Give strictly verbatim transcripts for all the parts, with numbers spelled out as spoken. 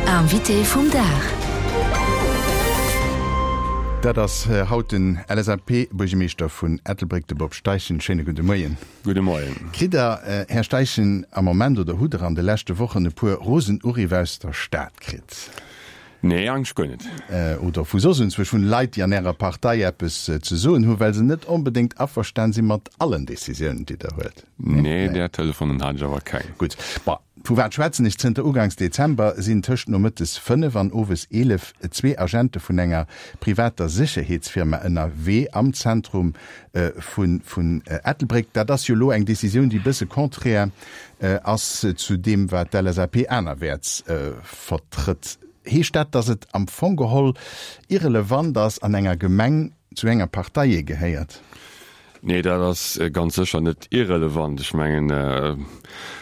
Invité vum Dag. Dat ass haut den LSAP-Buergermeeschter vun Ettelbréck, de Bob Steichen. Schéine gudde Moien. Gudde Moien. Kritt Der, Här Steichen, am Moment oder hutt Der an de leschte Wochen e puer rosen Uriff aus der Stad kritt? Nee, eigentlech guer net. Oder vu soss enzwousch vun Leit, déi an Ärer Partei eppes ze soen hunn, well se net onbedéngt averstan si mat allen Decisiounen, déi Der huelt? Nee, där Telefonen hat ech awer keng. Gutt. Bon, vu wat schwätzen ech? Zënter uganks Dezember sinn tëscht nomëttes fënnef an owes eelef zwee Agente vun enger privater Sécherheetsfirma ënnerwee am Zentrum vun vun Ettelbréck. Dat ass jo elo eng Decisioun, déi e bësse contraire ass zu deem, wat d'LSAP anerwäerts vertrëtt. Heescht dat, datt et am Fong geholl irrelevant ass, an enger Gemeng zu enger Partei ee gehéiert? Nee, dat ass ganz sécher net irrelevant. Ech mengen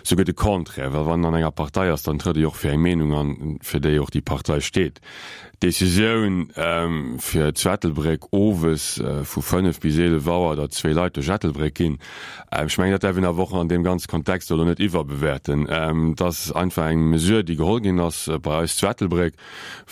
souguer de Contraire, well wann een an enger Partei ass, dann trëtt ee jo och fir eng Meenung an, fir déi och déi Partei steet. D'Decisioun, fir zu Ettelbréck owes vu fënnef bis eelef Auer, datt zwee Leit duerch Ettelbréck ginn, ech mengen, dat däerf een awer och an deem ganze Kontext elo net iwwerbewäerten. Et ass einfach eng Mesure, déi geholl ginn ass bei eis zu Ettelbréck,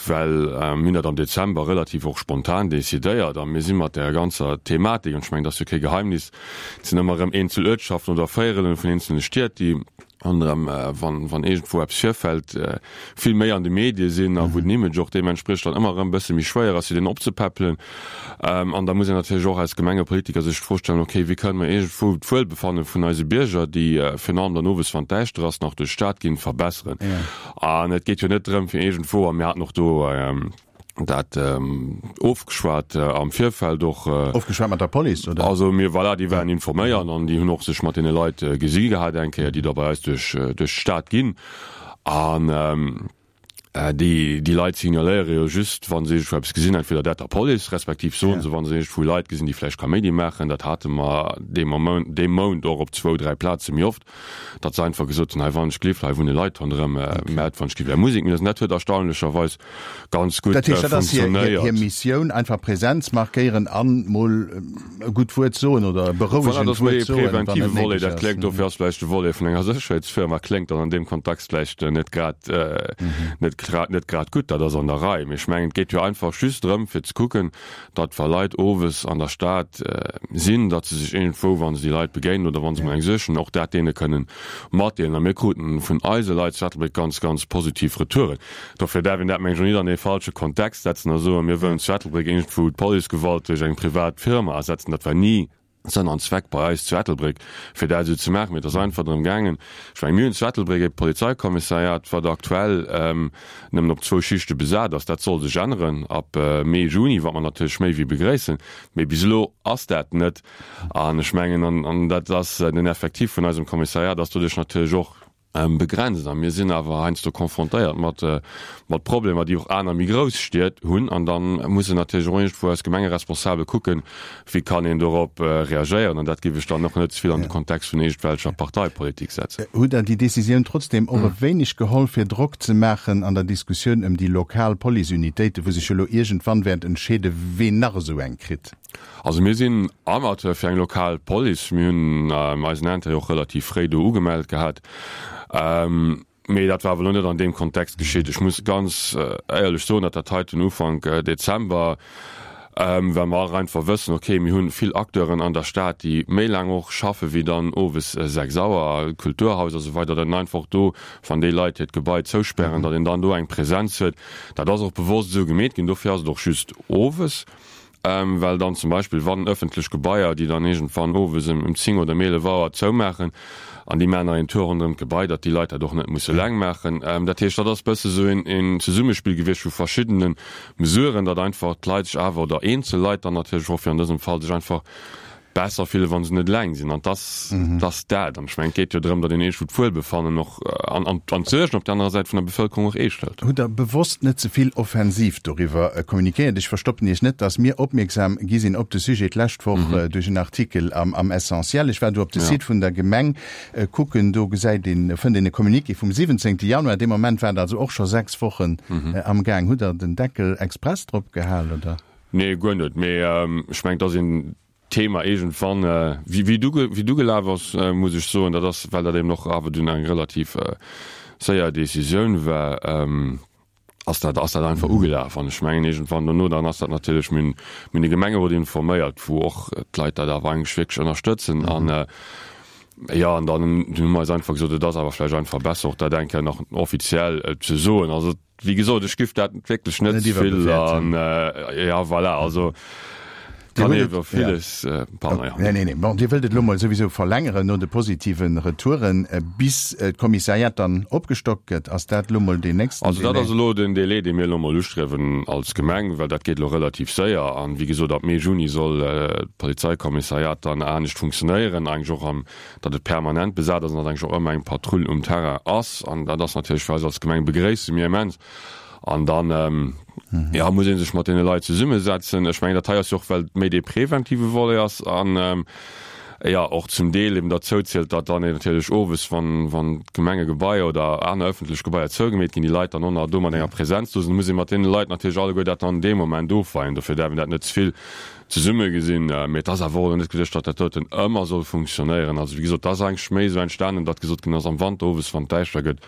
well mir hunn dat am Dezember relativ och spontan decidéiert a mir si mat där ganzer Thematik, an ech mengen, dat ass jo kee Geheimnis, et sinn ëmmer erëm eenzel Uertschaften oder Véierelen vun eenzelne Stied, déi ronderëm, wann, wann iergendwou eppes virfält, vill méi an de Medie sinn a wou den Image och deementspriechend dann ëmmer erëm e bësse méi schwéier ass, fir deen opzepäppelen. An da muss een natierlech och als Gemengepolitiker sech d'Fro stellen, okay, wéi kënnen mer iergendwou d'Wuelbefanne vun eise Bierger, déi virun allem dann owes, wann et däischter ass, nach duerch d'Stad ginn, verbesseren. An et geet jo net drëm, fir iergendwou, a mir haten och do dat ofgeschwat am Virfeld och. Ofgeschwat mat der Police, oder? Also mir, voilà, déi waren informéiert an déi hunn och sech mat deene Leit gesi gehat eng Kéier, déi da bei eis duerch duerch d'Stad ginn. An déi déi Leit signaléiere jo just, wa se iergendwou eppes gesinn, entweder dat der Police, respektiv soen se, wa se iergendwou Leit gesinn, déi vläicht Kaméidi maachen. Dat hate mer dee Moment, dee Mount och op zwou, dräi Plaze méi oft. Datt se einfach gesot hunn, hei wann ech gelift, hei wunne Leit ronderëm, mä wann ech giff är Musek méi lues. An dat huet erstaunlecherweis ganz gutt Dat heescht, dat ass hir, hir, funktionéiert. hir Missioun, einfach Präsenz markéieren an mol e gutt Wuert soen oder e Voilà, dat berouegend ass méi Wuert e soen, wann preventive et Volet. néideg Dat ass. kléngt, dofir ass vläicht de Volet vun enger Sécherheetsfirma kléngt dann an deem Kontext vläicht net grad, net grad, net grad gutt. Dat ass an der Rei. Mee ech mengen, et geet jo einfach just drëm, fir ze kucken, datt wa Leit owes an der Stad sinn, datt se sech iergendwou, wa se déi Leit begéinen oder wa se mol eng sichen, och dat deene kënnen matdeelen. A mir kruten vun eise Leit zu Ettelbréck ganz, ganz positiv Retouren. Dofir däerf een dat, meng ech, och nit an ee falsche Kontext setzen a soen, mir wëllen zu Ettelbréck iergendwou d'Policegewalt duerch eng privat Firma ersetzen. Dat war ni Sënn an Zweck bei eis zu Ettelbréck, fir dat esou ze maachen. Mee et ass einfach drëm gaangen, ech mengen, mir hunn zu Ettelbréck e Polizeikommissariat, wat aktuell nëmmen op zwou Schichte besat ass. Dat soll sech änneren ab Mee, Juni, wat mer natierlech méi wéi begréissen. Mee bis elo ass dat net. An ech mengen, an dat ass den Effectif vun eisem Kommissariat ass doduerch natierlech och begrenzt. A mir sinn awer heiansdo confrontéiert mat, mat Problemer, déi och aner méi grouss Stied hunn. An da mussen natierlech och iergendwou eis Gemengeresponsabel kucken, wéi kann een dorop reagéieren. An dat géif ech dann och net ze vill an de Kontext vun iergendwelcher Parteipolitik setzen. Hutt Der déi Décisioun trotzdem och e wéineg geholl, fir Drock ze maachen an der Diskussioun ëm déi lokal Policeunitéiten, wou sech jo elo iergendwann wäert entscheeden, ween nach esou eng kritt? Also mir sinn Amateur fir eng lokal Police. Mir hunn eisen Intérêt och relativ fréi do ugemellt gehat. Mee dat war awer elo net an deem Kontext geschitt. Ech muss ganz éierlech soen, datt dat heiten Ufank Dezember, well mer och einfach wëssen, okay, mir hu vill Acteuren an der Stad, déi méi laang och schaffe wéi dann owes sechs Auer, Kulturhaus a sou weider, datt een einfach do, wann déi Leit hiert Gebai zouspären, datt een dann do eng Presenz huet. Dat ass och bewosst esou gemeet ginn. Dofir ass et och just owes. Well dann zum Beispill, wann ëffentlech Gebaier, déi dann iergendwann owes ëm zéng oder ëm eelef Auer zoumaachen, an déi maachen nach een Tour ronderëm d'Gebai, datt déi Leit dat och net musse eleng maachen. Dat heescht, dat ass e bësse sou een Zesummespill gewiescht vu verschiddene Mesuren, datt einfach d'Leit sech awer, oder eenzel Leit dann natierlech och fir an dësem Fall, sech einfach besser fillen, wa se net eleng sinn. An dass, dass dat, an ech mengen, et geet jo drëm, datt een iergendwou d'Wuelbefannen och an, an, an d'Suergen op där anerer Säit vun der Bevëlkerung och eescht hëlt. Hutt Der bewosst net ze vill offensiv doriwwer communiquéiert? Ech verstoppen Iech net, dass mir opmierksam gi sinn op de Sujet d'lescht Woch duerch en Artikel am, am Essentiel. Ech war do op de Site vun der Gemeng kucken, do gesäit een, fënnt een e Communiqué vum siwwenzéngte Januar. Dee Moment war et also och scho sechs Wochen amgaang. Hutt Der den Deckel express drop gehal, oder? Nee, guer net. Mee ech mengen, et ass een Thema iergendwann, wéi wéi du wéi du gelaf ass, muss ech soen, dat ass, well dat eben och awer dunn eng relativ séier Decisioun war. ass dat ass dat einfach ugelaf. An ech mengen iergendwann dono, dann ass dat natierlech, mir hunn mir hunn de Gemengerot informéiert, wou och d'Leit dat awer eigentlech wierklech ënnerstëtzen. An jo, an dann hu mer eis einfach gesot, et ass awer vläicht einfach besser och dat eng Kéier nach offiziell ze soen. Also wéi gesot, ech giff dat wierklech net Net ze vill iwwerbewerten. an ja voilà, also Dir kann hutt ee et, iwwer ja. villes, pardon, ja. Nee, nee, nee. Bon, Dir wëllt et elo mol souwisou verlängeren no de positive Retouren, bis d'Kommissariat dann opgestockt gëtt. Ass dat elo mol deen nächsten Also dat Délai? ass elo den Délai, dee mir elo mol ustriewen als Gemeng, well dat geet elo relativ séier. An, wéi gesot, ab Mee, Juni soll d'Polizeikommissariat dann anescht funktionéieren, eigentlech och am, datt et permanent besat ass an datt eigentlech och ëmmer eng Patrull um Terrain ass. An dat ass natierlech fir eis als Gemeng, begréisse mir immens. An dann, jo, muss ee sech mat deene Leit zesummesetzen. Ech mengen, dat hei ass jo och, well et méi dee preventive Volet ass an, jo, och zum Deel eben derzou zielt, datt dann natierlech owes, wann, wann d'Gemengegebaier oder aner ëffentlech Gebaier zougemeet ginn, déi Leit dann och nach do mat enger Präsenz do sinn. Da muss ee mat deene Leit natierlech alleguer dat dann dee Moment ofweien. Dofir däerf een dat net ze vill zesumme gesinn. Mee et ass awer och elo net geduecht, datt dat doten ëmmer soll funktionéieren. Also, wéi gesot, et ass eigentlech méi esou entstanen, datt gesot ginn ass, am Wanter owes, wann et däischter gëtt,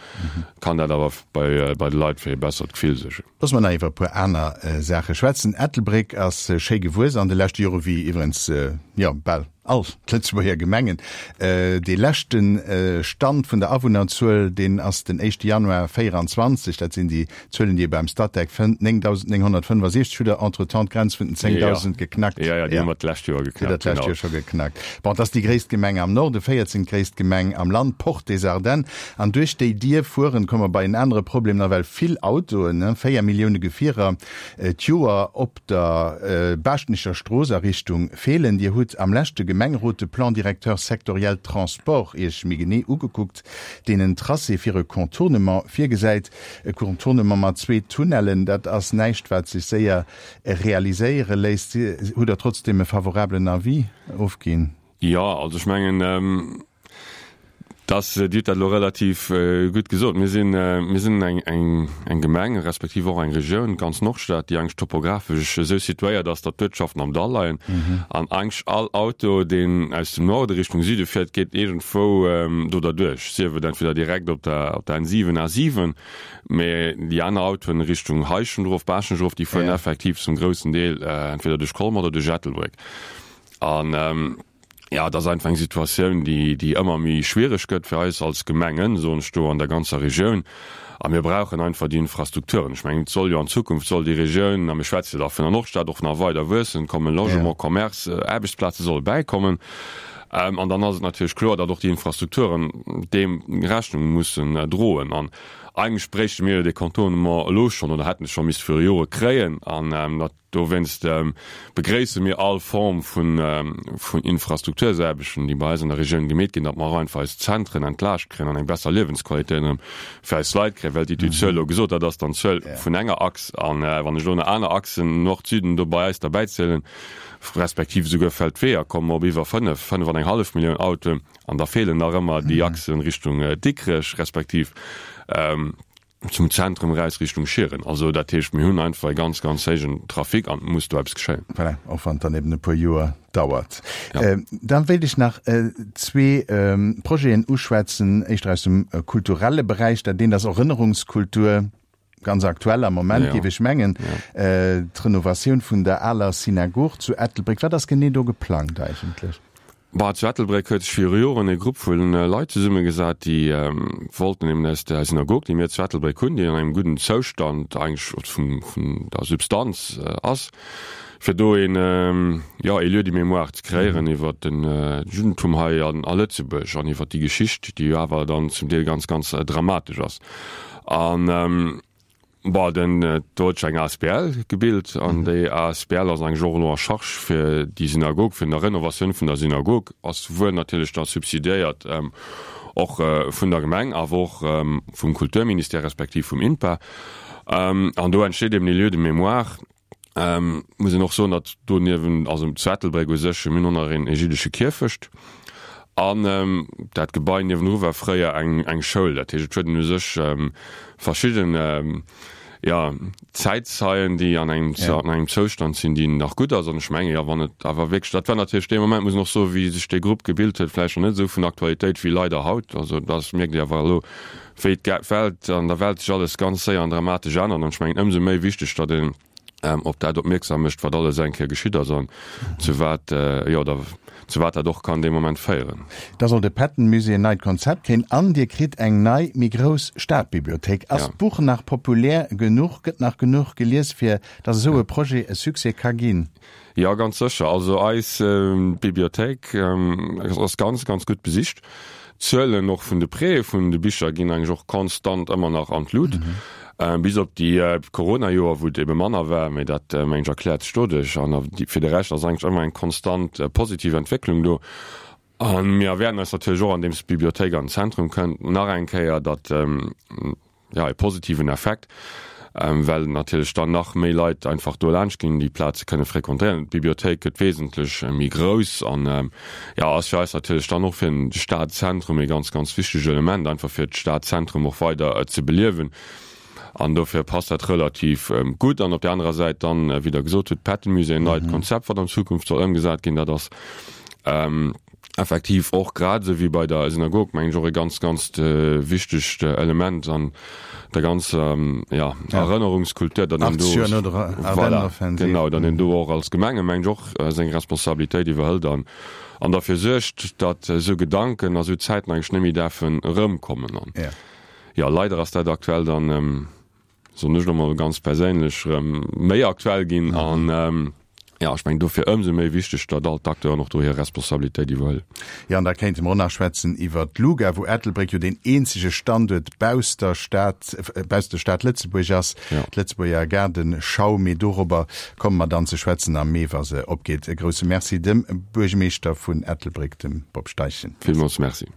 kann dat awer bei bei de Leit fir ee bessert Gefill suergen. Loosse mer nach iwwer e puer aner Saache schwätzen. Ettelbréck ass schéi gewuess an de leschte Jore wéi iwwerens, jo, bal all d'Lëtzebuerger Gemengen. Dee leschte Stand vun der Awunnerzuel, deen ass den éischte Januar véieranzwanzeg, dat sinn déi Zuelen, déi ee beim Statec fënnt, néngdausendnénghonnertfënnefasechzeg. Hutt Der entretemps d'Grenz vun den zéngdausend geknackt? Jo, jo, déi hu mer d'lescht Joer Déi hutt Der geknackt, d'lescht genau. Joer scho geknackt. Bon, et ass déi gréisst Gemeng am Norden, véierzéngtgréisst Gemeng am Land, Porte des Ardennes. An duerch déi Dier fueren, komme mer bei en anere Problem, nawell vill Autoen, véier Millioune Gefierer d'Joer op der Baaschtnecher Strooss a Richtung Feelen. Dir hutt am leschte Gemengerot de Plan directeur sectoriel Transport Iech méi genee ugekuckt, deen en Tracé fir e Contournement virgesäit. E Contournement mat zwee Tunnellen, dat ass näischt, wat sech séier realiséiere léisst. Hutt Der trotzdeem e favorablen Avis ofginn? Jo, also ech mengen, Dass, Dir hutt dat elo relativ gutt gesot, mir sinn, mir sinn eng, eng, eng Gemeng, respektiv och eng Regioun, d'ganz Nordstad, déi eigentlech topographesch esou situéiert ass, datt d'Uertschaften am Dall leien an eigentlech all Auto, deen aus dem Norde Richtung Süde fiert, geet iergendwou do derduerch, sief et entweder direkt op der, op der N siwen, A siwen, mä déi aner Autoen Richtung Heischent erof, Baaschtnech erof, déi fueren effektiv zum groussen Deel entweder duerch Colmer oder duerch Ettelbréck. An. Jo, et ass einfach eng Situatioun, déi, déi ëmmer méi schwiereg gëtt fir eis als Gemengen, soen ech do, an der ganzer Regioun. A mir brauchen einfach déi Infrastrukturen. Ech mengen, et soll jo an Zukunft soll déi Regioun, a mir schwätze jo da vun der Nordstad, och nach weider wuessen, kommen Logement, Commerce, Aarbechtsplaze solle bäikommen. An dann ass et natierlech kloer, datt och déi Infrastrukturen deem Rechnung mussen droen. An eigentlech bréichte mir jo dee Contournement elo schonn oder hätten e scho misste viru Jore kréien. An dat Dowéinst begréisse mir all Form vun Infrastruktursaarbechten, déi bei eis an der Regioun gemeet ginn, datt mer och einfach eis Zentren entlaascht kréien an eng besser Liewensqualitéit erëm fir eis Leit kréien. Well déi Zuel elo gesot, dat ass dann d'Zuel vun enger Achs. A wann ech elo nach aner Achsen, Nord-Süden, do bei eis derbäizielen, respektiv esouguer Feldweeër, komme mer op iwwer fënnef, fënnef an eng hallef Millioun Autoen. An da feelen nach ëmmer déi Achsen Richtung Dikrech, respektiv zum Zentrum eraus Richtung Schieren. Also dat heescht, mir hunn einfach e ganz, ganz héijen Trafic an et muss do eppes geschéien. Voilà, och wann et dann eben e puer Joer dauert. Da wéilt ech nach zwee Projeten uschwätzen, éischter aus dem kulturelle Beräich. Dat eent ass Erënnerungskultur, ganz aktuell am Moment, géif ech mengen, d'Renovatioun vun der aler Synagog zu Ettelbréck. Wat ass genee do geplangt eigentlech? Bah, zu Ettelbréck huet sech viru Joren e Grupp vu Leit zesummegesat, déi wollten eben aus der Synagog, déi mir zu Ettelbréck hunn, déi an engem gudden Zoustand eigentlech och vun, vun der Substanz ass, fir do een, jo, ee Lieu de mémoire ze kreéieren iwwer den Juddentum hei an a Lëtzebuerg an iwwer déi Geschicht, déi jo awer dann zum Deel ganz, ganz dramatesch ass. An Bon, den, do huet sech eng asbl gebilt an déi asbl ass eigentlech och elo en charge fir déi Synagog, fir der Renovatioun vun der Synagog, ass wuel natierlech da subsidiéiert och vun der Gemeng, awer och vum Kulturministère respektiv vum INPA. An do entsteet eben e Lieu de mémoire. Muss een och soen, datt do niewent, also zu Ettelbréck u sech, mir hunn och nach een e jiddesche Kierfecht an dat Gebai niewendru war fréier eng eng Schoul. Dat heescht, et huet een u sech verschidden, ja, Zäitzeien, déi an engem, ja. an engem Zoustand sinn, déi nach gutt ass. An ech menge jo, wann et awer wierklech, dat war natierlech dee Moment, muss een och soen, wéi sech dee Grupp gebilt huet, vläicht nach net esou vun Aktualitéit wéi leider haut. Also dat mierkt Dir awer elo, wéi d'Welt an der Welt sech alles ganz séier an dramatesch ännert. An ech mengen, ëmsou méi wichteg, datt een op dat opmierksam mécht, wat alles eng Kéier geschitt ass an zu wat, jo, da zu wat dat och kann dee Moment féieren. Da soll de Patton-Musée en neit Konzept kréien an Dir kritt eng nei, méi grouss Stadbibliothéik. Ass d'Buch nach populär genuch, gëtt nach genuch gelies, fir datt esou e Projet e Succès ka ginn? Jo, ganz sécher. Also eis Bibliothéik ass ganz, ganz gutt besicht. D'Zuelen och vun de Prêtë vun de Bicher ginn eigentlech och konstant ëmmer nach an d'Lut. Bis op déi Corona-Joer, wou et ebe manner war, mee dat mengen ech erkläert sech doduerch. An fir de Rescht ass eigentlech ëmmer eng konstant positiv Entwécklung do. A mir erwaarden eis natierlech och, andeems d'Bibliothéik an den Zentrum kënnt, nach eng Kéier, datt, jo, e positiven Effekt, well natierlech dann nach méi Leit einfach do laanscht ginn, déi Plaze kënne frequentéieren. D'Bibliothéik gëtt wesentlech méi grouss an, jo, ass fir eis natierlech dann och fir de Stadzentrum e ganz, ganz wichteg Element, einfach fir d'Stadzentrum och weider ze beliewen. An dofir passt dat relativ gutt. An op där anerer Säit dann, wéi Der gesot hutt, d'Pettenmusée, en neit Konzept, wat an Zukunft soll ëmgesat ginn, dat ass effektiv och, grad esou wéi bei der Synagog, mengen ech, och e ganz, ganz wichtegt Element an der ganzer, jo, Erënnerungskultur, datt een do, voilà, genau, datt een do och als Gemenge, mengen ech, och seng Responsabilitéit iwwerhëlt an an derfir suergt, datt esou Gedanken a sou Zäiten eigentlech net méi däerfen erëmkommen. An, jo, leider ass dat aktuell dann, soen ech elo mol ganz perséinlech, erëm méi aktuell ginn an, Jo, ech mengen dofir ëmsou méi wichteg, datt all d'Acteuren och do hir Responsabilitéit iwwerhuelen. Jo, an da kéinte mer och nach schwätzen iwwert d'LUGA, wou Ettelbréck jo deen eenzege Standuert bausst der Stad, bausst der Stad Lëtzebuerg ass, d'Lëtzebuerger Gaardeschau. Mee dorobber komme mer dann ze schwätzen am Mee, wa se opgeet. E grousse Merci dem Buergermeeschter vun Ettelbréck, dem Bob Steichen. Villmools Merci.